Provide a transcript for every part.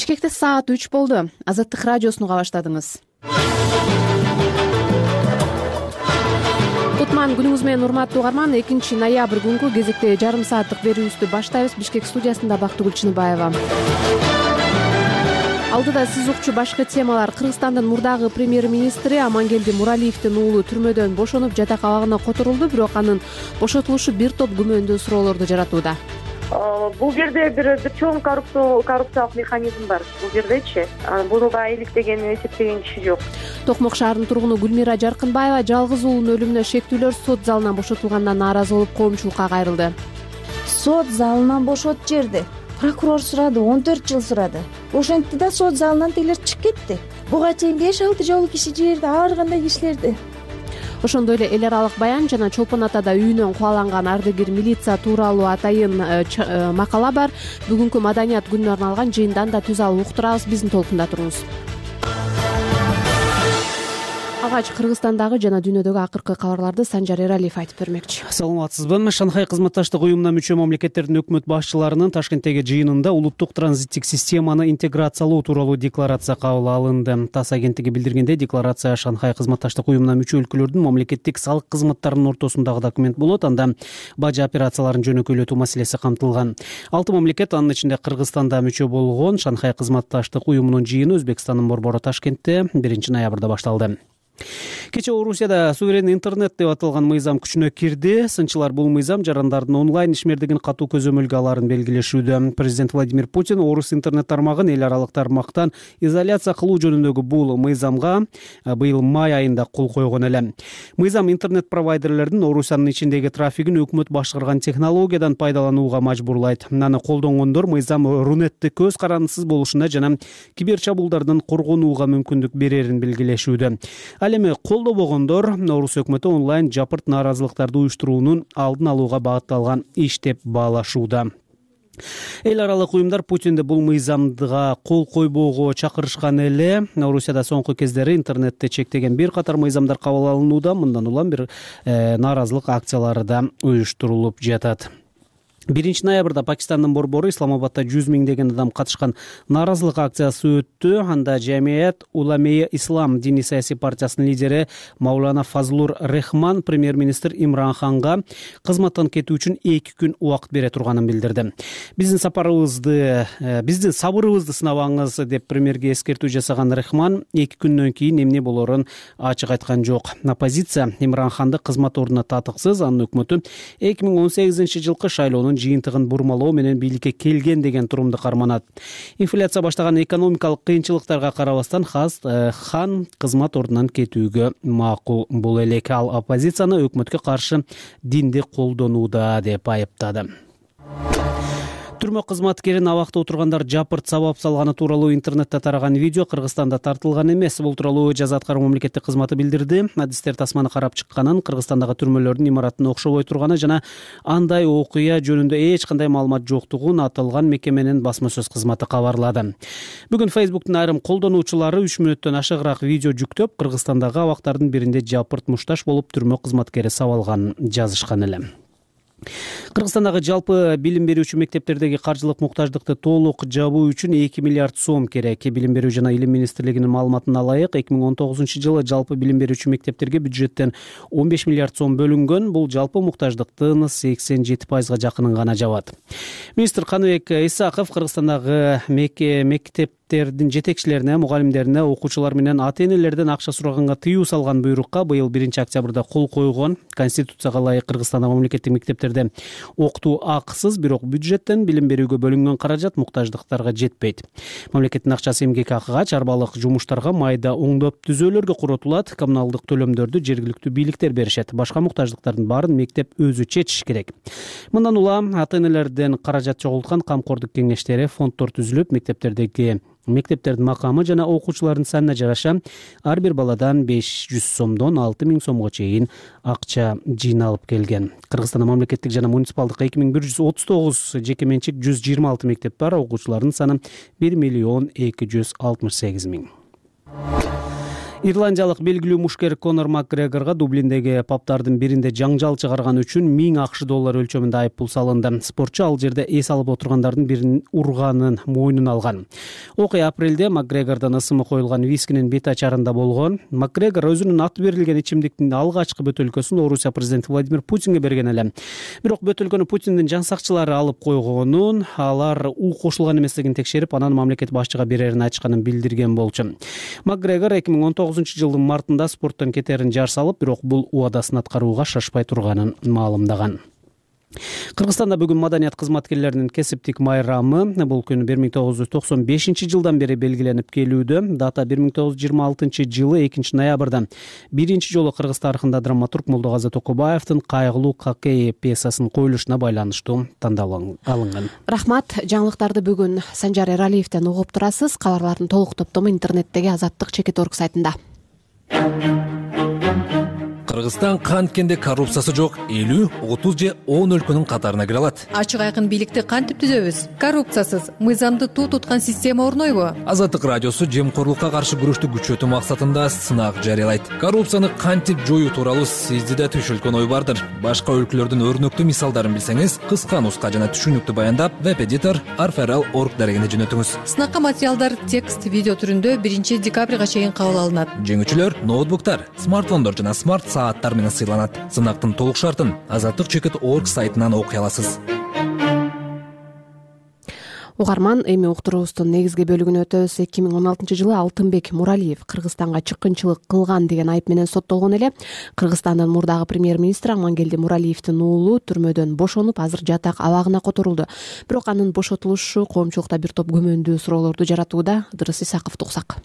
Бишкекте саат 3 болду. Азаттык радиосуну уга баштадыңыз. Кутман күнүңүз менен урматтуу угарман. 2 ноябрь күнгү кезекте жарым сааттык берүүбүздү баштайбыз. Бишкек студиясында Бактыгүл Чыныбаева. Алдыда сиз укчу башкы темалар. Кыргызстандын мурдагы премьер-министри Амангелди Муралиевдин уулу түрмөдөн бошонуп жатак абагына которулду, бирок анын бошотулушу бир топ күмөндүү суроолорду жаратууда. Бул жерде бир чоң коррупциялык механизм бар. Бул жердечи буну да иликтеген, эсептеген киши жок. Токмок шаарынын тургуну Гүлмира Жаркынбаева жалгыз уулунун өлүмүнө шектүүлөр сот залынан бошотулгандан нааразы болуп коомчулукка кайрылды. Сот залынан бошот жерди. Прокурор сурады, 14 жыл сурады. Ошентти да сот залынан тегилер чыгып кетти. Буга чейин 5-6 жолу киши жиберди, ар кандай кишилерди. Ошондой эле эл аралык баян жана Чолпон Атада үйүнөн кубаланган ардыгер милиция тууралуу атайын макала бар. Бүгүнкү маданият күнүнө арналган жыйындан да түз алып уктурабыз. Биздин толкунда туруңуз. Алгач Кыргызстандагы жана дүйнөдөгү акыркы кабарларды Санжар Эралиев айтып бермекчи. Саламатсызбы? Шанхай кызматташтык уюмуна мүчө мамлекеттердин өкмөт башчыларынын Ташкенттеги жыйынында улуттук транзиттик системаны интеграциялоо тууралуу декларация кабыл алынды. ТАСС агенттиги билдиргендей, декларация Шанхай кызматташтык уюмуна мүчө өлкөлөрдүн мамлекеттик салык кызматтарынын ортосундагы документ болот. Анда бажы операцияларын жөнөкөйлөтүү маселеси камтылган. 6 мамлекет, анын ичинде Кыргызстанда мүчө болгон Шанхай кызматташтык уюмунун жыйыны Өзбекстандын борбору Ташкентте 1 ноябрда башталды. Кечээ Орусияда суверенный интернет деп аталган мыйзам күчүнө кирди. Сынчылар бул мыйзам жарандардын онлайн ишмердигин катуу көзөмөлгө алаарын белгилешүүдө. Президент Владимир Путин Орус интернет тармагын эл аралык тармактан изоляция кылуу жөнүндөгү бул мыйзамга быйыл май айында кол койгон эле. Мыйзам интернет провайдерлердин Орусиянын ичиндеги трафигин өкмөт башкарган технологиядан пайдаланууга мажбурлайт. Аны колдонгондор мыйзам Рунетти көз карандысыз болушуна жана киберчабуулдардан коргонууга мүмкүндүк берерин белгилешүүдө. Ал эми колдобогондор Орус өкмөтү онлайн жапырт нааразылыктарды уюштуруунун алдын алууга багытталган иш деп баалашууда. Эл аралык уюмдар Путинди бул мыйзамга кол койбоого чакырышкан эле. Орусияда соңку кездери интернетти чектеген бир катар мыйзамдар кабыл алынууда. Мындан улам бир нааразылык акциялары да уюштурулуп жатат. 1 ноябрда Пакистандын борбору Исламабадда 100 миңдеген адам катышкан нааразылык акциясы өттү. Анда Жамият Уламея Ислам диний саясий партиясынын лидери Маулана Фазлур Рехман премьер-министр Имран Ханга кызматтан кетүү үчүн 2 күн убакыт бере турганын билдирди. Биздин сабырыбызды сынабаңыз деп премьерге эскертүү жасаган Рехман 2 күндөн кийин эмне болорун ачык айткан жок. Оппозиция Имран Ханды кызмат ордуна татыксыз, анын өкмөтү 2018-жылкы шайлоонун жыйынтыгын бурмалоо менен бийликке келген деген турумду карманат. Инфляция баштаган экономикалык кыйынчылыктарга карабастан Хан кызмат ордунан кетүүгө макул. Бул элек ал оппозицияны өкмөткө каршы динди колдонууда деп айыптады. Түрмө кызматкерин абакта отургандар жапырт сабап салганы тууралуу интернетте тараган видео Кыргызстанда тартылган эмес. Бул тууралуу жаза аткаруу мамлекеттик кызматы билдирди. Адистер тасманы карап чыкканын, Кыргызстандагы түрмөлөрдүн имараттын окшобой турганы жана андай окуя жөнүндө эч кандай маалымат жоктугун аталган мекеменин басма сөз кызматы кабарлады. Бүгүн Facebook'тун айрым колдонуучулары 3 мүнөттөн ашыгыраак видео жүктөп, Кыргызстандагы абактардын биринде жапырт мушташ болуп түрмө кызматкери сабалганын жазышкан эле. Кыргызстандагы жалпы билим берүүчү мектептердеги каржылык муктаждыкты толук жабуу үчүн 2 миллиард сом керек. Билим берүү жана илим министрлигинин маалыматына ылайык, 2019-жылы жалпы билим берүүчү мектептерге бюджеттен 15 миллиард сом бөлүнгөн. Бул жалпы муктаждыктын 87%-га жакынын гана жабат. Министр Каныбек Исаков Кыргызстандагы мектептердин жетекчилерине, мугалимдерине, окуучулар менен ата-энелерден акча сураганга тыюу салган буйрукка быйыл 1 октябрда кол койгон. Конституцияга ылайык Кыргызстанда мамлекеттик мектептерде окутуу акысыз, бирок бюджеттен билим берүүгө бөлүнгөн каражат муктаждыктарга жетпейт. Мамлекеттин акчасы эмгек акыга, чарбалык жумуштарга, майда оңдоп түзөөлөргө коротулат. Коммуналдык төлөмдөрдү жергиликтүү бийликтер беришет. Башка муктаждыктардын баарын мектеп өзү чечиш керек. Мындан улам ата-энелерден каражат чогулткан камкордук кеңештери, фонддор түзүлүп, мектептердин макамы жана окуучулардын санына жараша ар бир баладан 500 сомдон 6000 сомго чейин акча жыйналып келген. Кыргызстанда мамлекеттик жана муниципалдык 2139, жеке менчик 126 мектеп бар. Окуучулардын саны 1 268 000. Ирландиялык белгилүү мушкер Конор Макгрегорго Дублиндеги пабдардын биринде жаңжал чыгарган үчүн $1000 өлчөмүндө айыппул салынды. Спортчу ал жерде эс алып отургандардын бирин урганын мойнуна алган. Окуя апрелде Макгрегордон ысымы коюлган вискинин бет ачарында болгон. Макгрегор өзүнүн аты берилген ичимдиктин алгачкы бөтөлкөсүн Орусия президенти Владимир Путинге берген эле. Бирок бөтөлкөнү Путиндин жан сакчылары алып койгонун, алар у кошулган эместигин текшерип, анан мамлекет башчыга берерин айтышканын билдирген болчу. Макгрегор 2019-жылдын мартында спорттон кетерин жар салып, бирок бул убадасын аткарууга шашпай турганын маалымдаган. Кыргызстанда бүгүн маданият кызматкерлеринин кесиптик майрамы. Бул күн 1995-жылдан бери белгиленип келүүдө. Дата 1926-жылы 2-ноябрда биринчи жолу кыргыз тарыхында драматург Молдогазы Токобаевдин «Кайгылуу Какей» пьесасынын коюлушуна байланыштуу тандалып алынган. Рахмат. Жаңылыктарды бүгүн Санжар Эралиевден угуп турасыз. Кабарлардын толук топтому интернеттеги Азаттык Чекит.орг сайтында. Кыргызстан канткенде коррупциясы жок 50, 30 же 10 өлкөнүн катарына кире алат. Ачык айкын бийликти кантип түзөбүз? Коррупциясыз, мыйзамды туу туткан система орнойбу? Азаттык радиосу жемкорлукка каршы күрөштү күчөтүү максатында сынак жарыялайт. Коррупцияны кантип жоюу тууралуу сизде да түшүлгөн ой бардыр. Башка өлкөлөрдүн өрнөктүү мисалдарын билсеңиз, кыска нуска жана түшүнүктүү баяндап, веб-эдитор arferal.org дарегине жөнөтүңүз. Сынакка материалдар текст, видео түрүндө 1-декабрга чейин кабыл алынат. Жеңүүчүлөр ноутбуктар, смартфондор жана смарт сааттар менен сыйланат. Сынактын толук шартын Азаттык Чекит.орг сайтынан окуй аласыз. Угарман, эми уктуруубуздун негизги бөлүгүнө өтөбүз. 2016-жылы Алтынбек Муралиев Кыргызстанга чыккынчылык кылган деген айып менен соттолгон эле. Кыргызстандын мурдагы премьер-министри Амангелди Муралиевдин уулу түрмөдөн бошонуп, азыр жатак абагына которулду. Бирок анын бошотулушу коомчулукта бир топ күмөндүү суроолорду жаратууда. Ыдырыс Исаковду угсак.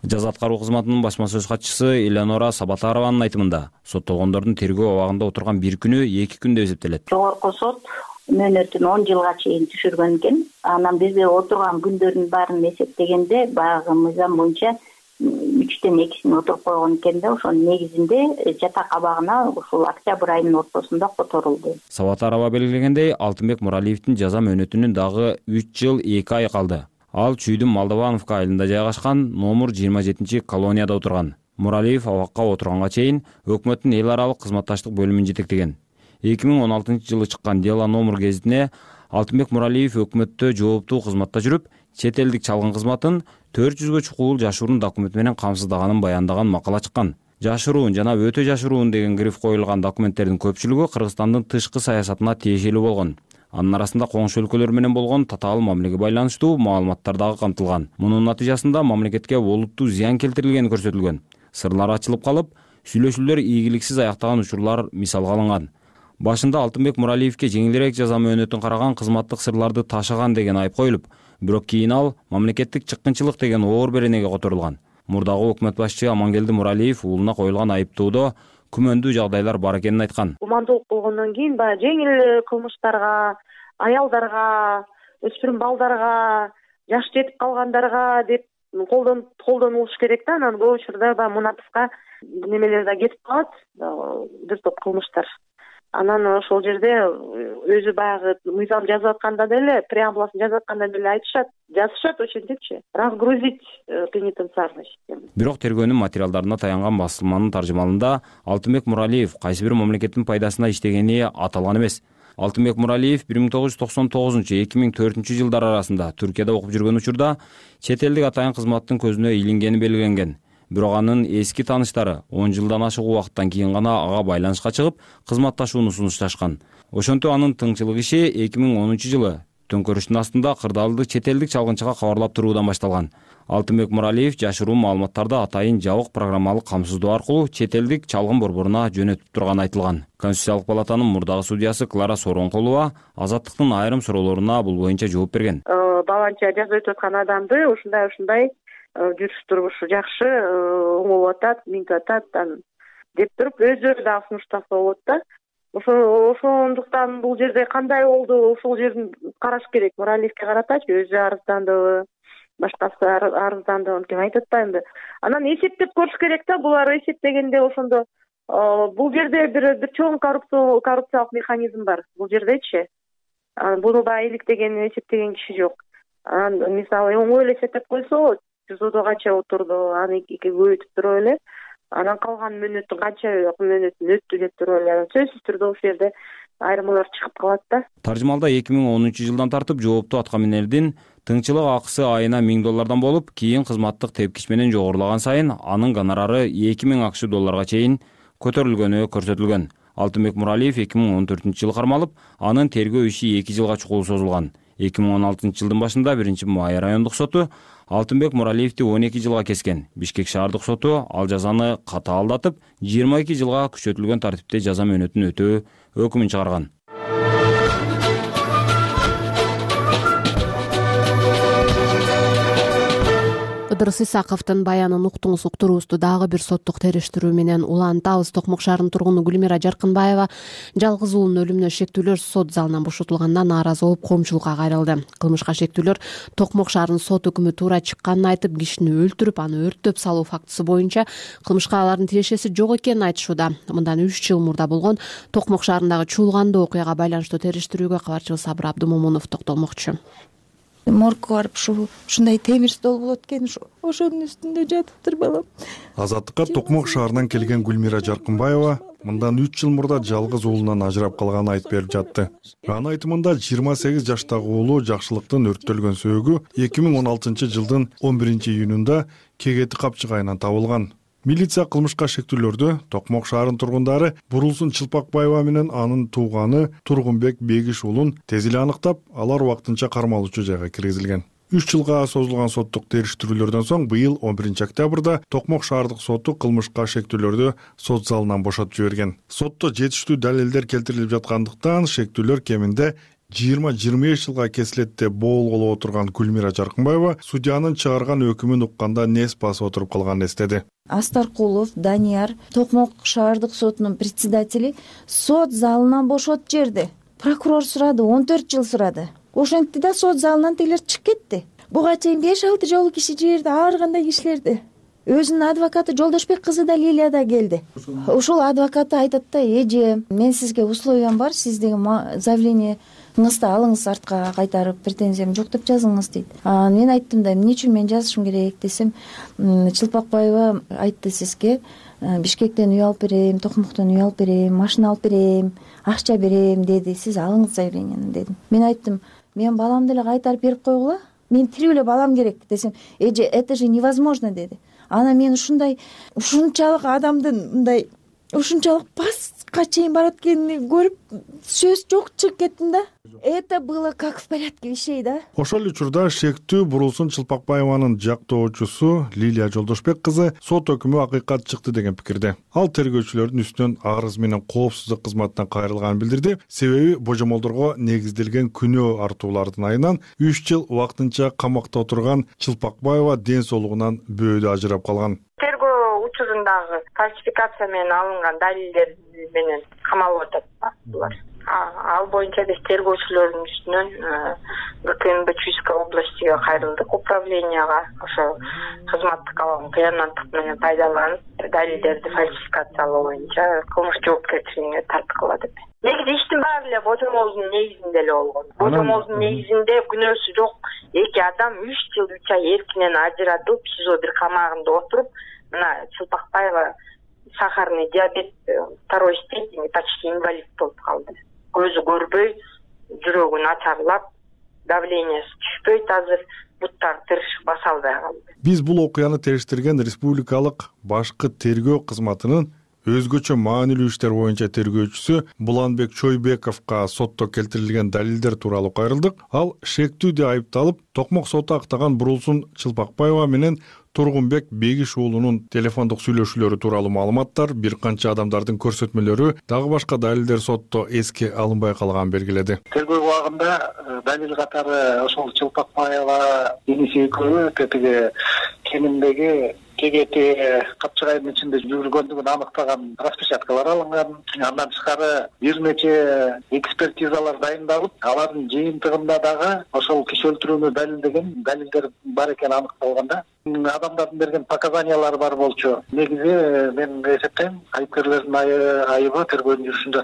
Жаза аткаруу кызматынын басма сөз катчысы Элеонора Сабатарованын айтымында, соттолгондордун тергөө абагында отурган бир күнү 2 күн деп эсептелет. Жогорку сот мөөнөтүн 10 жылга чейин түшүргөн экен. Анан бизде отурган күндөрдүн баарын эсептегенде баягы мыйзам боюнча 3тен 2син отуруп койгон экен да, ошонун негизинде жатак абагына ушул октябрь айынын ортосунда которулду. Сабатарова белгилегендей, Алтынбек Муралиевдин жаза мөөнөтүнүн дагы 3 жыл 2 ай калды. Ал Чүйдүн Молдовановка айылында жайгашкан номер 27 колонияда отурган. Муралиев абакка отурганга чейин өкмөттүн эл аралык кызматташтык бөлүмүн жетектеген. 2016-жылы чыккан Дело номер гезитине Алтынбек Муралиев өкмөттө жооптуу кызматта жүрүп, чет элдик чалгын кызматын 400гө чукул жашыруун документ менен камсыздаганын баяндаган макала чыккан. Жашыруун жана өтө жашыруун деген гриф коюлган документтердин көпчүлүгү Кыргызстандын тышкы саясатына тиешелүү болгон. Анын арасында коңшу өлкөлөр менен болгон татаал мамилеге байланыштуу маалыматтар дагы камтылган. Мунун натыйжасында мамлекетке олуттуу зыян келтирилгени көрсөтүлгөн. Сырлар ачылып калып, сүйлөшүүлөр ийгиликсиз аяктаган учурлар мисалга алынган. Башында Алтынбек Муралиевке жеңилирээк жаза мөөнөтүн караган кызматтык сырларды ташыган деген айып коюлуп, бирок кийин ал мамлекеттик чыккынчылык деген оор беренеге которулган. Мурдагы өкмөт башчы Амангелди Муралиев уулуна коюлган айыптоодо күмөндүү жагдайлар бар экенин айткан. Гумандуулук болгондон кийин баягы жеңил кылмыштарга, аялдарга, өспүрүм балдарга, жаш жетип калгандарга деп колдонулуш керек да. Анан көп учурда баягы мунатыфка немелер да кетип калат, бир топ кылмыштар. Анан ошол жерде өзү баягы мыйзам жазып атканда деле, преамбуласын жазып атканда деле жазышат ошентипчи, разгрузить пенитенциарную систему. Бирок тергөөнүн материалдарына таянган басылманын таржымалында Алтынбек Муралиев кайсы бир мамлекеттин пайдасына иштегени аталган эмес. Алтынбек Муралиев 1999-2004 жылдар арасында Түркияда окуп жүргөн учурда чет элдик атайын кызматтын көзүнө илингени белгиленген. Бирок анын эски тааныштары 10 жылдан ашык убакыттан кийин гана ага байланышка чыгып, кызматташууну сунушташкан. Ошентип анын тыңчылык иши 2010 жылы төңкөрүштүн астында кырдаалды чет элдик чалгынчыга кабарлап туруудан башталган. Алтынбек Муралиев жашыруун маалыматтарды атайын жабык программалык камсыздоо аркылуу чет элдик чалгын борборуна жөнөтүп турганы айтылган. Конституциялык палатанын мурдагы судьясы Клара Сооронкулова Азаттыктын айрым суроолоруна бул боюнча жооп берген. Баланча жазып өтүп аткан адамды ушундай жүрүш турмушу жакшы, оңолуп атат, минтип атат деп туруп өздөрү дагы сунуштаса болот да. Ошондуктан бул жерде кандай болду, ошол жерин караш керек. Муралиевке каратачы өзү арыздандыбы, башкасы арыздандыбы, ким айтып атпаймынбы. Анан эсептеп көрүш керек да, булар эсептегенде ошондо бул жерде бир чоң коррупциялык механизм бар. Бул жердечи буну баягы иликтеген, эсептеген киши жок. Анан мисалы оңой эле эсептеп койсо болот. ТИЗОдо канча отурду, аны эки көбөйтүп туруп эле анан калган мөөнөтүн канча мөөнөтүн өттү деп туруп эле сөзсүз түрдө ошол жерде айырмалар чыгып калат да. Таржымалда 2010-жылдан тартып жооптуу атка минердин тыңчылык акысы айына $1000 болуп, кийин кызматтык тепкич менен жогорулаган сайын анын гонорары $2000 чейин көтөрүлгөнү көрсөтүлгөн. Алтынбек Муралиев 2014-жылы кармалып, анын тергөө иши 2 жылга чукул созулган. 2016-жылдын башында 1-Май райондук соту Алтынбек Муралиевди 12 жылга кескен. Бишкек шаардык соту ал жазаны катаалдатып, 22 жылга күчөтүлгөн тартипте жаза мөөнөтүн өтөө өкүмүн чыгарган. Ыдырыс Исаковдун баянын уктуңуз, уктуруубузду дагы бир соттук териштирүү менен улантабыз. Токмок шаарынын тургуну Гүлмира Жаркынбаева жалгыз уулунун өлүмүнө шектүүлөр сот залынан бошотулганына нааразы болуп, коомчулукка кайрылды. Кылмышка шектүүлөр Токмок шаарынын сот өкүмү туура чыкканын айтып, кишини өлтүрүп, аны өрттөп салуу фактысы боюнча кылмышка алардын тиешеси жок экенин айтышууда. Мындан 3 жыл мурда болгон Токмок шаарындагы чуулгандуу окуяга байланыштуу териштирүүгө кабарчыбыз Сабыр Абдумомунов токтолмокчу. Моргко барып ушундай темир стол болот экен, ошонун үстүндө жатыптыр балам. Азаттыкка Токмок шаарынан келген Гүлмира Жаркынбаева мындан 3 жыл мурда жалгыз уулунан ажырап калганын айтып берип жатты. Анын айтымында 28 жаштагы уулу жакшылыктын өрттөлгөн сөөгү 2016-жылдын 11-июнунда кегети капчыгайынан табылган. Милиция кылмышка шектүүлөрдү Токмок шаарынын тургундары Бурулсун Чылпакбаева менен анын тууганы Тургунбек Бегиш уулун тез эле аныктап, алар убактынча кармалуучу жайга киргизилген. 3 жылга созулган соттук териштирүүлөрдөн соң быйыл 11-октябрда Токмок шаардык соту кылмышка шектүүлөрдү сот залынан бошотуп жиберген. Сотто жетиштүү далилдер келтирилип жаткандыктан шектүүлөр кеминде 20-25 жылга кесилет деп боолголоп отурган Гүлмира Жаркынбаева судьянын чыгарган өкүмүн укканда нес басып отуруп калганын эстеди. Астаркулов Данияр, Токмок шаардык сотунун председатели, сот залынан бошотуп жиберди. Прокурор сурады, 14 жыл сурады. Ошентти да сот залынан тегилер чыгып кетти. Буга чейин 5-6 жолу киши жиберди, ар кандай кишилерди. Өзүнүн адвокаты Жолдошбек кызы да Лилия да келди. Ошол адвокаты айтат да, эже, мен сизге условиям бар, сиздеги заявлениеңизди алыңыз, артка кайтарып, претензиям жок деп жазыңыз дейт. Мен айттым да, эмне үчүн мен жазышым керек десем, Чылпакбаева айтты сизге, Бишкектен үй алып берем, Токмоктон үй алып берем, машина алып берем, акча берем деди. Сиз алыңыз заявлениени дедим. Мен айттым, мен баламды эле кайтарып берип койгула, мен тирүү эле балам керек десем, эже, это же невозможно деди. Ана мен ушунчалык адамдын мындай ушунчалык пастка чейин барат экенин көрүп, сөз жок чыгып кеттим да. Это было как в порядке вещей, да. Ошол эле учурда шектүү Бурулсун Чылпакбаеванын жактоочусу Лилия Жолдошбек кызы сот өкүмү акыйкат чыкты деген пикирде. Ал тергөөчүлөрдүн үстүнөн арыз менен коопсуздук кызматынан кайрылганын билдирди. Себеби божомолдорго негизделген күнөө артуулардын айынан 3 жыл убактынча камакта отурган Чылпакбаева ден соолугунан бөөдө ажырап калган. Тергөө учурундагы фальсификация менен алынган далилдер менен камалып атат булар. Ал боюнча биз тергөөчүлөрдүн үстүнөн ГКНБ Чуйской областиге кайрылдык, управленияга ошо кызматтык алган кыянаттык менен пайдаланып далилдерди фальсификациялоо боюнча кылмыш жоопкерчилигине тарткыла деп. Негизи иштин баары эле божомолдун негизинде эле болгон. Божомолдун негизинде күнөөсү жок эки адам 3 жыл 3 ай эркинен ажыратылып, СИЗО бир камагында отуруп, мына Чылпакбаева сахарный диабет 2 степени, почти инвалид болуп калды. Көзү көрбөй, жүрөгү начарлап, давлениясы түшпөйт, азыр буттары тырышып баса албай калды. Биз бул окуяны териштирген республикалык башкы тергөө кызматынын өзгөчө маанилүү иштер боюнча тергөөчүсү Буланбек Чойбековго сотто келтирилген далилдер тууралуу кайрылдык. Ал шектүүдө айыпталып, Токмок соту актаган Бурулсун Чылпакбаева менен Тургунбек Бегиш уулунун телефондук сүйлөшүүлөрү тууралуу маалыматтар, бир канча адамдардын көрсөтмөлөрү, дагы башка далилдер сотто эске алынбай калганын белгиледи. Тергөө убагында далил катары ошол Чылпакбаева иниси экөө тетиги кеминдеги кегети капчыгайдын ичинде жүргөндүгүн аныктаган распечаткалар алынган. Андан тышкары бир нече экспертизалар дайындалып, алардын жыйынтыгында дагы ошол киши өлтүрүүнү далилдеген далилдер бар экени аныкталганда, адамдардын берген показаниялары бар болчу. Негизи мен эсептейм айыпкерлердин айыбы тергөөнүн жүрүшүндө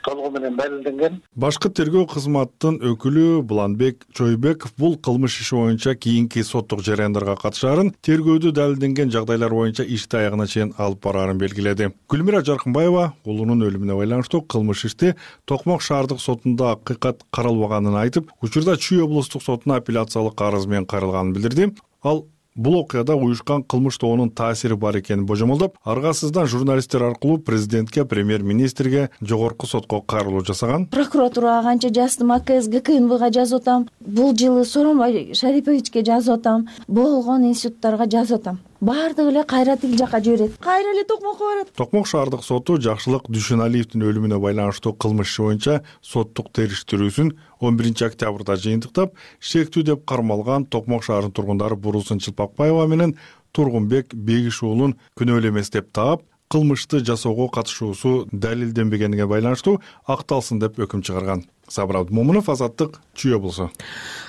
толугу менен далилденген. Башкы тергөө кызматынын өкүлү Буланбек Чойбеков бул кылмыш иши боюнча кийинки соттук жарыяндарга катышаарын, тергөөдө далилденген жагдайлар боюнча ишти аягына чейин алып бараарын белгиледи. Гүлмира Жаркынбаева улунун өлүмүнө байланыштуу кылмыш ишти Токмок шаардык сотунда акыйкат каралбаганын айтып, учурда Чүй облустук сотуна апелляциялык арыз менен кайрылганын билдирди. Ал бул окуяда уюшкан кылмыш тобунун таасири бар экенин божомолдоп, аргасыздан журналисттер аркылуу президентке, премьер-министрге, жогорку сотко кайрылуу жасаган. Прокуратурага канча жаздым, АКС, ГКНБга жазып атам. Бул жылы Сооронбай Шариповичке жазып атам. Болгон институттарга жазып атам. Баардыгы эле кайра тил жакка жиберет. Кайра эле Токмокко барат. Токмок шаардык соту Жакшылык Дүйшөналиевдин өлүмүнө байланыштуу кылмыш иши боюнча соттук териштирүүсүн 11 октябрда жыйынтыктап, шектүү деп кармалган Токмок шаарынын тургундары Бурусун Чылпакбаева менен Тургунбек Бегиш уулун күнөөлүү эмес деп таап, кылмышты жасоого катышуусу далилденбегенине байланыштуу акталсын деп өкүм чыгарган. Сабыр Абдымомунов, Азаттык, Чүй облусу.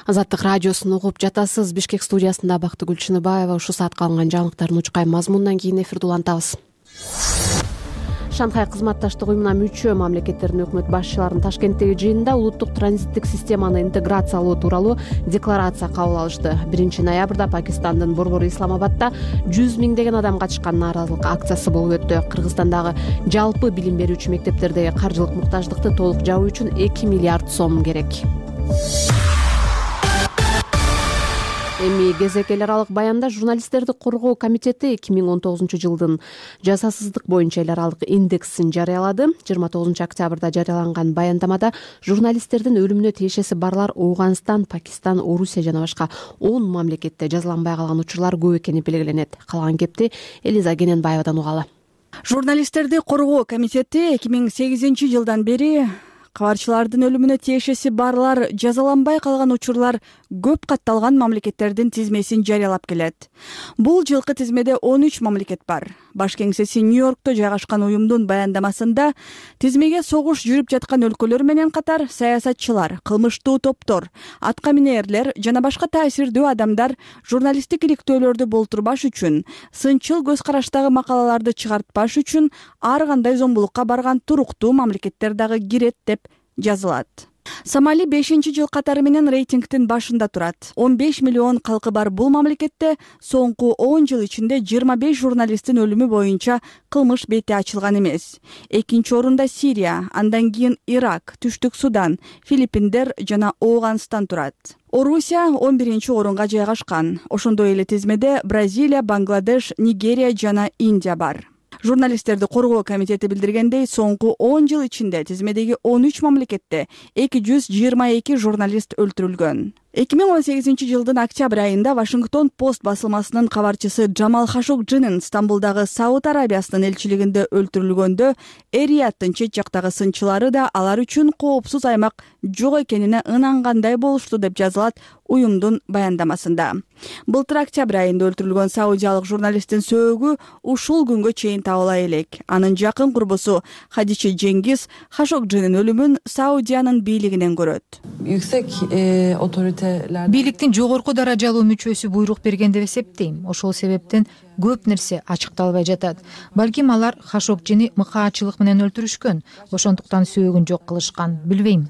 Азаттык радиосун угуп жатасыз. Бишкек студиясында Бактыгүл Чыныбаева. Ушул саатка алынган жаңылыктардын учкай мазмунунан кийин эфирди улантабыз. Шанхай кызматташтык уюмуна мүчө мамлекеттердин өкмөт башчыларынын Ташкенттеги жыйынында улуттук транзиттик системаны интеграциялоо тууралуу декларация кабыл алышты. 1-ноябрда Пакистандын борбору Исламабадда 100 миңдеген адам катышкан нааразылык акциясы болуп өттү. Кыргызстандагы жалпы билим берүүчү мектептердеги каржылык муктаждыкты толук жабуу үчүн 2 миллиард сом керек. Эми кезек эл аралык баянда журналисттерди коргоо комитети 2019 жылдын жазасыздык боюнча эл аралык индексин жарыялады. 29 октябрда жарыяланган баяндамада журналисттердин өлүмүнө тиешеси барлар Ооганстан, Пакистан, Орусия жана башка 10 мамлекетте жазаланбай калган учурлар көп экени белгиленет. Калаган кепти Элиза Кененбаевадан угалы. Журналисттерди коргоо комитети 2008 жылдан бери кабарчылардын өлүмүнө тиешеси барлар жазаланбай калган учурлар көп катталган мамлекеттердин тизмесин жарыялап келет. Бул жылкы тизмеде 13 мамлекет бар. Баш кеңсеси Нью-Йоркто жайгашкан уюмдун баяндамасында тизмеге согуш жүрүп жаткан өлкөлөр менен катар саясатчылар, кылмыштуу топтор, атка минээрлер жана башка таасирдүү адамдар журналисттик иликтөөлөрдү болтурбаш үчүн, сынчыл көз караштагы макалаларды чыгартпаш үчүн ар кандай зомбулукка барган туруктуу мамлекеттер дагы кирет деп жазылат. Сомали 5-жыл катары менен рейтингдин башында турат. 15 миллион калкы бар бул мамлекетте соңку 10 жыл ичинде 25 журналисттин өлүмү боюнча кылмыш бети ачылган эмес. Экинчи орунда Сирия, андан кийин Ирак, Түштүк Судан, Филиппиндер жана Ооганстан турат. Орусия 11-орунга жайгашкан. Ошондой эле тизмеде Бразилия, Бангладеш, Нигерия жана Индия бар. Журналисттерди коргоо комитети билдиргендей, соңку 10 жыл ичинде тизмедеги 13 мамлекетте 222 журналист өлтүрүлгөн. 2018 жылдын октябрь айында Вашингтон Пост басылмасынын кабарчысы Джамал Хашогджинин Стамбулдагы Сауд Арабиясынын элчилигинде өлтүрүлгөндө эр-Рияттын чет жактагы сынчылары да алар үчүн коопсуз аймак жок экенине ынангандай болушту деп жазылат уюмдун баяндамасында. Былтыр октябрь айында өлтүрүлгөн саудиялык журналисттин сөөгү ушул күнгө чейин табыла элек. Анын жакын курбусу Хадиче Жеңгиз Хашогджинин өлүмүн Саудиянын бийлигинен көрөт. Бийликтин жогорку даражалуу мүчөсү буйрук берген деп эсептейм. Ошол себептен көп нерсе ачыкталбай жатат. Балким алар Хашогджини мыкаачылык менен өлтүрүшкөн. Ошондуктан сөөгүн жок кылышкан. Билбейм.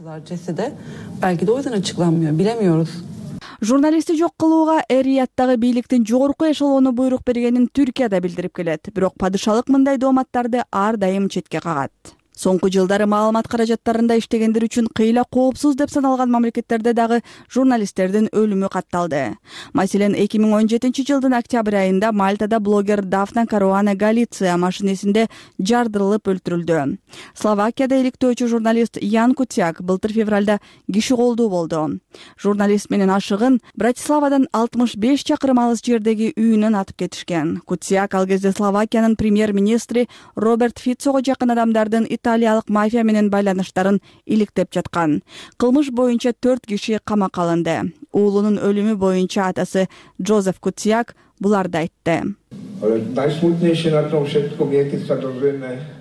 Журналистти жок кылууга эр-Рияттагы бийликтин жогорку эшелону буйрук бергенин Түркия да билдирип келет. Бирок падышалык мындай дооматтарды ар дайым четке кагат. Соңку жылдары маалымат каражаттарында иштегендер үчүн кыйла коопсуз деп саналган мамлекеттерде дагы журналисттердин өлүмү катталды. Маселен, 2017 жылдын октябрь айында Мальтада блогер Дафна Каруана Галиция машинесинде жардырылып өлтүрүлдү. Словакияда иликтөөчү журналист Ян Кутяк былтыр февралда киши колдуу болду. Журналист менен ашыгын Братиславадан 65 чакырым алыс жердеги үйүнөн атып кетишкен. Кутяк ал кезде Словакиянын премьер-министри Роберт Фицого жакын адамдардын италиялык мафия менен байланыштарын иликтеп жаткан. Кылмыш боюнча 4 киши камакка алынды. Уулунун өлүмү боюнча атасы Джозеф Кутяк буларды айтты.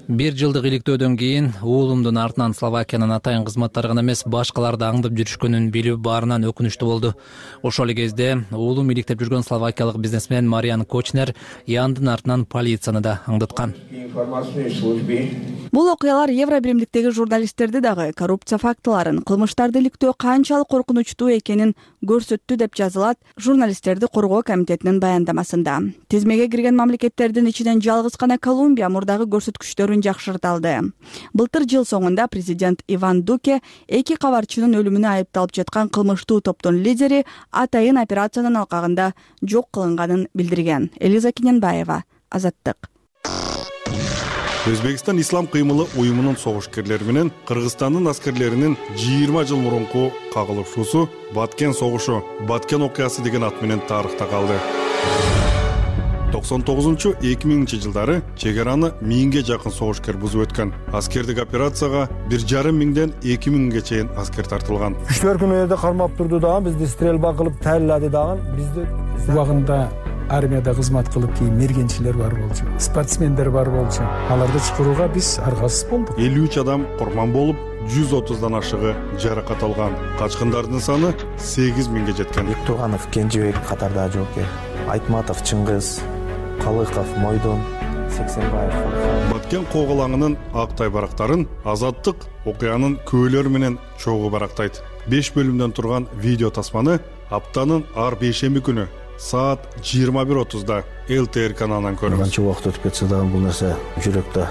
1 жылдык иликтөөдөн кийин уулумдун артынан Словакиянын атайын кызматтары гана эмес башкалар да аңдып жүрүшкөнүн билүү баарынан өкүнүчтүү болду. Ошол эле кезде уулум иликтеп жүргөн словакиялык бизнесмен Мариан Кочнер Яндын артынан полицияны да аңдыткан. Бул окуялар Евро биримдиктеги журналисттерди дагы коррупция фактыларын, кылмыштарды иликтөө канчалык коркунучтуу экенин көрсөттү деп жазылат Журналисттерди коргоо комитетинин баяндамасында. Тизмеге кирген мамлекеттердин ичинен жалгыз гана Колумбия мурдагы көрсөткүчтөрүн жакшырта алды. Былтыр жыл соңунда президент Иван Дуке 2 кабарчынын өлүмүнө айыпталып жаткан кылмыштуу топтун лидери атайын операциянын алкагында жок кылынганын билдирген. Элиза Кененбаева, Азаттык. Өзбекстан ислам кыймылы уюмунун согушкерлери менен Кыргызстандын аскерлеринин 20 жыл мурунку кагылышуусу Баткен согушу, Баткен окуясы деген ат менен тарыхта калды. 99-2000 жылдары чек араны 1000ге жакын согушкер бузуп өткөн. Аскердик операцияга 1,5 миңден 2 миңге чейин аскер тартылган. Күчтөр күнү кармап турду дагы, бизди стрельба кылып таялады дагы. Бизди убагында армияда кызмат кылып кийин мергенчилер бар болчу, спортсмендер бар болчу. Аларды чыгарууга биз аргасыз болдук. 53 адам курман болуп, 130дан ашыгы жаракат алган. Качкындардын саны 8 миңге жеткен. Бектурганов Кенжебек катарда жооптор, Айтматов Чыңгыз, Калыков Мойдон, Сексенбаев. Баткен коголаңынын актай барактарын Азаттык окуянын көөлөрү менен чогуу барактайт. 5 бөлүмдөн турган видео тасманы аптанын ар бейшемби күнү саат 21:30да ЛТР каналынан көрүңүз. Канча убакыт өтүп кетсе дагы бул нерсе жүрөктө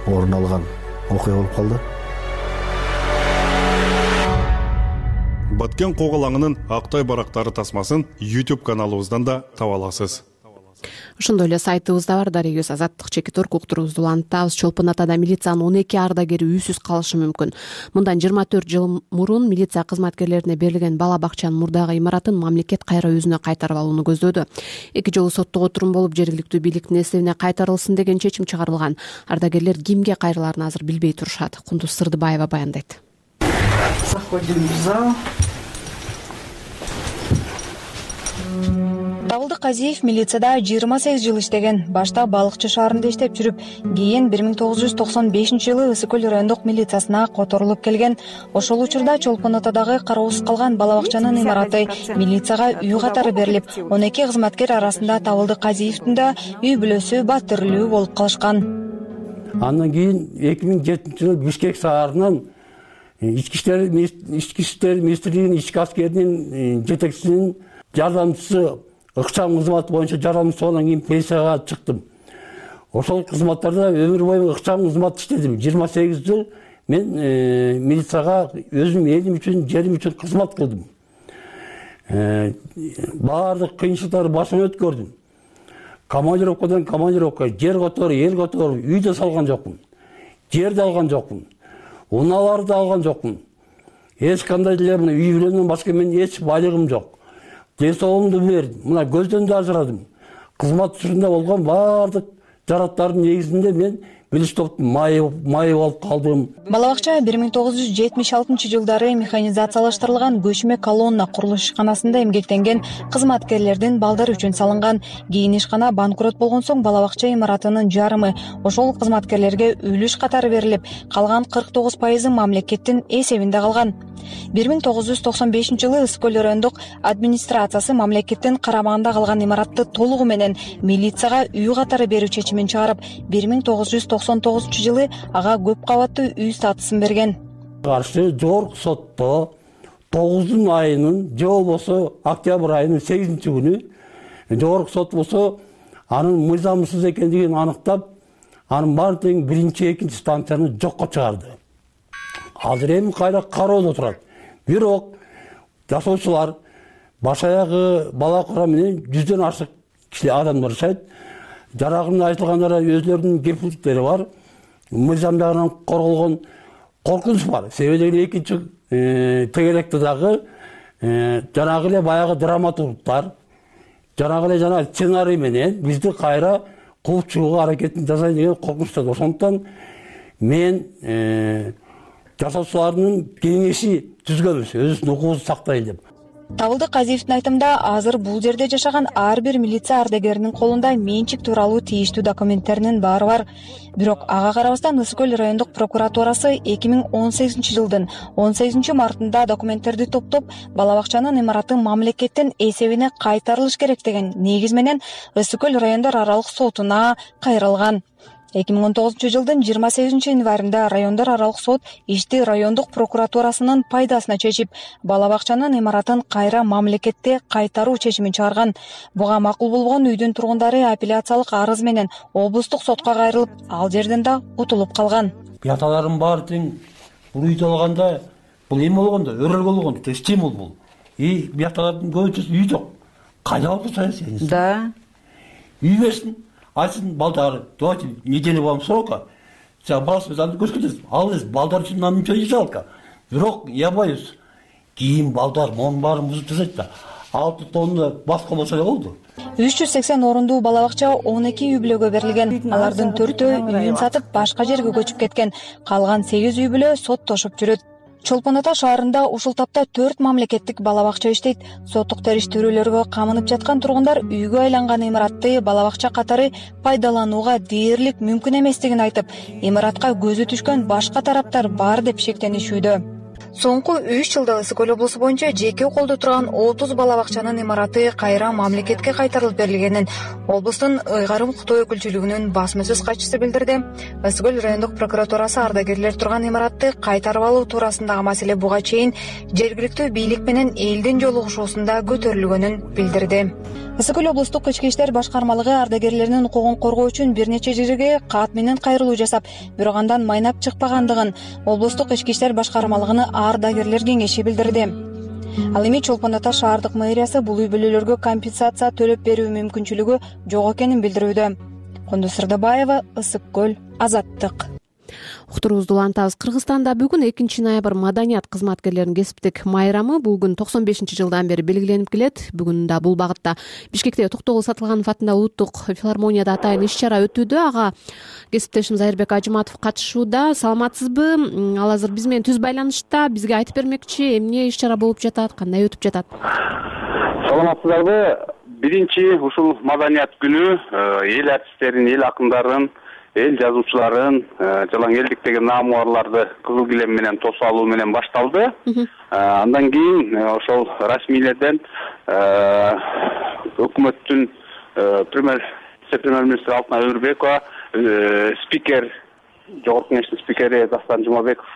орун алган окуя болуп калды. Баткен коголаңынын актай барактары тасмасын YouTube каналыбыздан да таба аласыз. Ошондой эле сайтыбызда бар дарегөз Азаттык чекит.org уктуруубузду улантабыз. Чолпон атада милициянын 12 ардагери үйсүз калышы мүмкүн. Мындан 24 жыл мурун милиция кызматкерлерине берилген бала бакчанын мурдагы имаратын мамлекет кайра өзүнө кайтарып алууну көздөөдү. 2 жолу соттук отурум болуп, жергиликтүү бийликтин эсебине кайтарылсын деген чечим чыгарылган. Ардагерлер кимге кайрылаарын азыр билбей турушат. Кундуз Сырдыбаева баяндайт. Заходим в зал. Табылдык Казиев милицияда 28 жыл иштеген. Башта Балыкчы шаарында иштеп жүрүп, кийин 1995-жылы Ысык көл райондук милициясына которулуп келген. Ошол учурда Чолпон атадагы кароосуз калган бала бакчанын имараты милицияга үй катары берилип, 12 кызматкер арасында Табылдык Казиевдин да үй бүлөсү батирлүү болуп калышкан. Андан кийин 2007-жылы Бишкек шаарынан ички иштер министрлигинин ички аскеринин жетекчисинин жардамчысы ыкчам кызмат боюнча жардамчысы болгондон кийин пенсияга чыктым. Ошол кызматтарда өмүр бою ыкчам кызмат иштедим. 28 жыл мен милицияга өзүм элим үчүн, жерим үчүн кызмат кылдым. Баардык кыйынчылыктарды башыман өткөрдүм. Командировкадан командировка, жер которуп, эл которуп, үй да салган жокмун. Жер да алган жокмун. Унааларды да алган жокмун. Эч кандай деле мына үй бүлөмдөн башка менин эч байлыгым жок. Ден соолугумду бердим. Мына көздөн да ажырадым. Кызмат учурунда болгон баардык жараттардын негизинде мен билиш топтун майы болуп калдым. Бала бакча 1976-жылдары механизациялаштырылган көчмө колонна курулуш ишканасында эмгектенген кызматкерлердин балдары үчүн салынган. Кийин ишкана банкрот болгон соң бала бакча имаратынын жарымы ошол кызматкерлерге үлүш катары берилип, калган 49% мамлекеттин эсебинде калган. 1995-жылы Ысык көл райондук администрациясы мамлекеттин карамагында калган имаратты толугу менен милицияга үй катары берүү чечимин чыгарып, 1999-жылы ага көп кабаттуу үй статусун берген. Каршы жогорку сотто 9 айынын же болбосо октябрь айынын 8-күнү жогорку сот болсо анын мыйзамсыз экендигин аныктап, анын баарын тең 1-2 станцияны жокко чыгарды. Азыр эми кайра кароодо турат. Бирок жашоочулар баш аягы бала кура менен 100дөн ашык киши адамдар жашайт. Жарагында айтылгандары өзлөрүнүн кепилдиктери бар. Мыйзам жагынан корголгон коркунуч бар. Себеби экинчи тегеректе дагы жанагы эле баягы драматургтар, жанагы эле жана сценарий менен бизди кайра кууп чыгууга аракетин жасайт деген коркунучта. Ошондуктан мен жашоочулардын кеңеши түзгөнбүз, өзүбүздүн укугубузду сактайлы деп. Табылдык Казиевдин айтымында азыр бул жерде жашаган ар бир милиция ардагеринин колунда менчик тууралуу тийиштүү документтеринин баары бар. Бирок ага карабастан Ысык көл райондук прокуратурасы 2018 жылдын 18 мартында документтерди топтоп, бала бакчанын имараты мамлекеттин эсебине кайтарылыш керек деген негиз менен Ысык көл райондор аралык сотуна кайрылган. 2019 жылдын 28 январында райондор аралык сот ишти райондук прокуратурасынын пайдасына чечип, бала бакчанын имаратын кайра мамлекетте кайтаруу чечимин чыгарган. Буга макул болгон үйдүн тургундары апелляциялык арыз менен облустук сотко кайрылып, ал жерден да утулуп калган. Бияталарым баары тең бул үйдү алганда, бул эме болгондо, өрөлгө болгондо то стимул бул. Бияталардын көбүнчөсү үй жок. Кайда болсо сен? Да. Үй берсин. Айтсын балдары, давайте неделю вам срока. Сен баласыз аны көрсөтөсүз. Ал эс балдар үчүн нам ничего не жалко. Бирок я боюсь, кийин балдар монун баарын бузуп тастайт да. 6 тонна башка болсо эле болду. 380 орундуу бала бакча 12 үй бүлөгө берилген. Алардын 4-өө үйүн сатып башка жерге көчүп кеткен. Калган 8 үй бүлө соттошуп жүрөт. Чолпон Ата шаарында ушул тапта 4 мамлекеттик бала бакча иштейт. Соттук териштирүүлөргө камынып жаткан тургундар үйгө айланган имаратты бала бакча катары пайдаланууга дээрлик мүмкүн эместигин айтып, имаратка көзү түшкөн башка тараптар бар деп шектенишүүдө. Соңку 3 жылда Ысык көл облусу боюнча жеке колдо турган 30 бала бакчанын имараты кайра мамлекетке кайтарылып берилгенин облустун ыйгарым укуктуу өкүлчүлүгүнүн басма сөз катчысы билдирди. Ысык көл райондук прокуратурасы ардагерлер турган имаратты кайтарып алуу туурасындагы маселе буга чейин жергиликтүү бийлик менен элдин жолугушуусунда көтөрүлгөнүн билдирди. Ысык көл облустук ички иштер башкармалыгы ардагерлеринин укугун коргоо үчүн бир нече жерге кат менен кайрылуу жасап, бирок андан майнап чыкпагандыгын облустук ички иштер башкармалыгынын ардагерлер кеңеши билдирди. Ал эми Чолпон Ата шаардык мэриясы бул үй бүлөлөргө компенсация төлөп берүү мүмкүнчүлүгү жок экенин билдирүүдө. Кондос Сырдабаева, Ысык көл, Азаттык. Уктуруубузду улантабыз. Кыргызстанда бүгүн 2 ноябрь маданият кызматкерлеринин кесиптик майрамы. Бул күн 95 жылдан бери белгиленип келет. Бүгүн да бул багытта Бишкекте Токтогул Сатылганов атындагы улуттук филармонияда атайын иш-чара өтүүдө. Ага кесиптешим Айырбек Ажыматов катышууда. Саламатсызбы? Ал азыр биз менен түз байланышта. Бизге айтып бермекчи, эмне иш-чара болуп жатат, кандай өтүп жатат? Саламатсыздарбы? Биринчи ушул маданият күнү эл артисттерин, эл акындарын, эл жазуучуларын, жалаң элдик деген наамуарларды кызыл килем менен тосуп алуу менен башталды. Андан кийин ошол расмийлерден өкмөттүн премьер-министри Алтынай Өмүрбекова, спикер, жогорку кеңештин спикери Дастан Жумабеков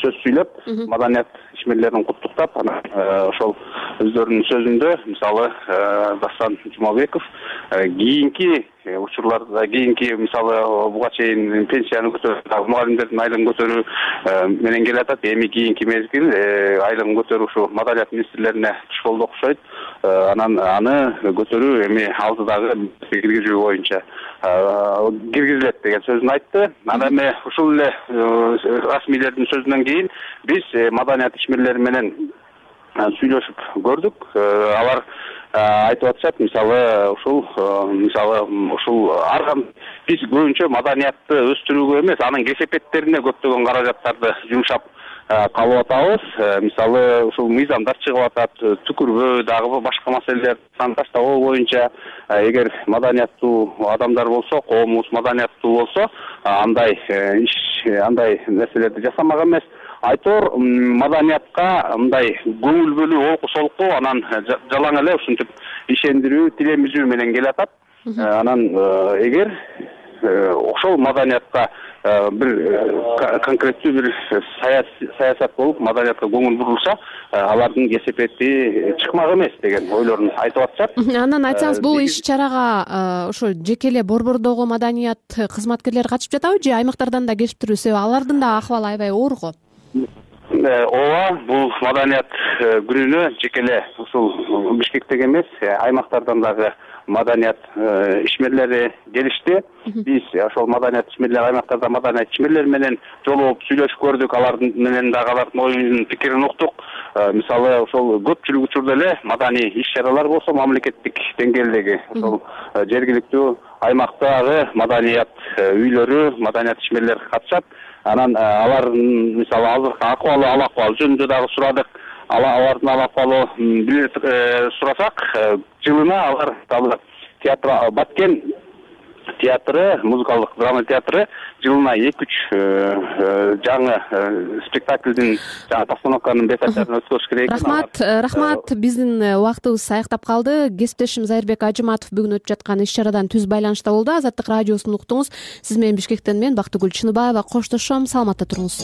сөз сүйлөп, маданият ишмерлерин куттуктап, анан ошол өздөрүнүн сөзүндө, мисалы, Дастан Жумабеков кийинки учурларда, кийинки мисалы буга чейин пенсияны көтөрүү, мугалимдердин айлыгын көтөрүү менен келатат. Эми кийинки мезгил айлыгын көтөрүү ушу маданият министрлерине түш болду окшойт. Анан аны көтөрүү эми алдыдагы киргизүү боюнча киргизилет деген сөзүн айтты. Анан эми ушул эле расмийлердин сөзүнөн кийин биз маданият ишмерлери менен сүйлөшүп көрдүк. Алар айтып атышат, мисалы ушул арган биз көбүнчө маданиятты өстүрүүгө эмес, анын кесепеттерине көптөгөн каражаттарды жумшап калып атабыз. Мисалы ушул мыйзамдар чыгып атат, түкүрбө дагы башка маселелер таштабоо боюнча эгер маданияттуу адамдар болсо, коомубуз маданияттуу болсо, андай нерселерди жасамак эмес. Айтор маданиятка мындай көңүл бөлүү, окуу солку, анан жалаң эле ушинтип ишендирүү, тилемизүү менен келатат. Анан эгер ошол маданиятка бир конкреттүү бир саясат болуп, маданиятка көңүл бурулса, алардын кесепети чыкмак эмес деген ойлорун айтып атышат. Анан айтсаңыз, бул иш-чарага ошо жеке эле борбордогу маданият кызматкерлери катышып жатабы же аймактардан да келип туруп, себеби алардын да акыбалы аябай оор го? Ооба, бул маданият күнүнө жеке эле ушул Бишкектеги эмес, аймактардан дагы маданият ишмерлери келишти. Биз ошол маданият ишмерлери аймактарда маданият ишмерлери менен жолугуп сүйлөшүп көрдүк, алардын менен дагы алардын оюн пикирин уктук. Мисалы ошол көпчүлүк учурда эле маданий иш-чаралар болсо мамлекеттик деңгээлдеги ошол жергиликтүү аймактагы маданият үйлөрү, маданият ишмерлери катышат. Анан алардын мисалы азыркы акыбалы, ал акыбал жөнүндө дагы сурадык. алардын абалы сурасак, жылына алар дагы театр Баткен театры, музыкалдык драма театры жылына 2-3 жаңы спектаклдин постановканын бетачарын өткөрүш керек экен. Рахмат. Биздин убактыбыз саякта калды. Кесиптешим Зайырбек Ажыматов бүгүн өтүп жаткан иш-чарадан түз байланышта болду. Азаттык радиосун уктуңуз. Сиз менен Бишкектен мен Бактыгүл Чыныбаева коштошом. Саламатта туруңуз.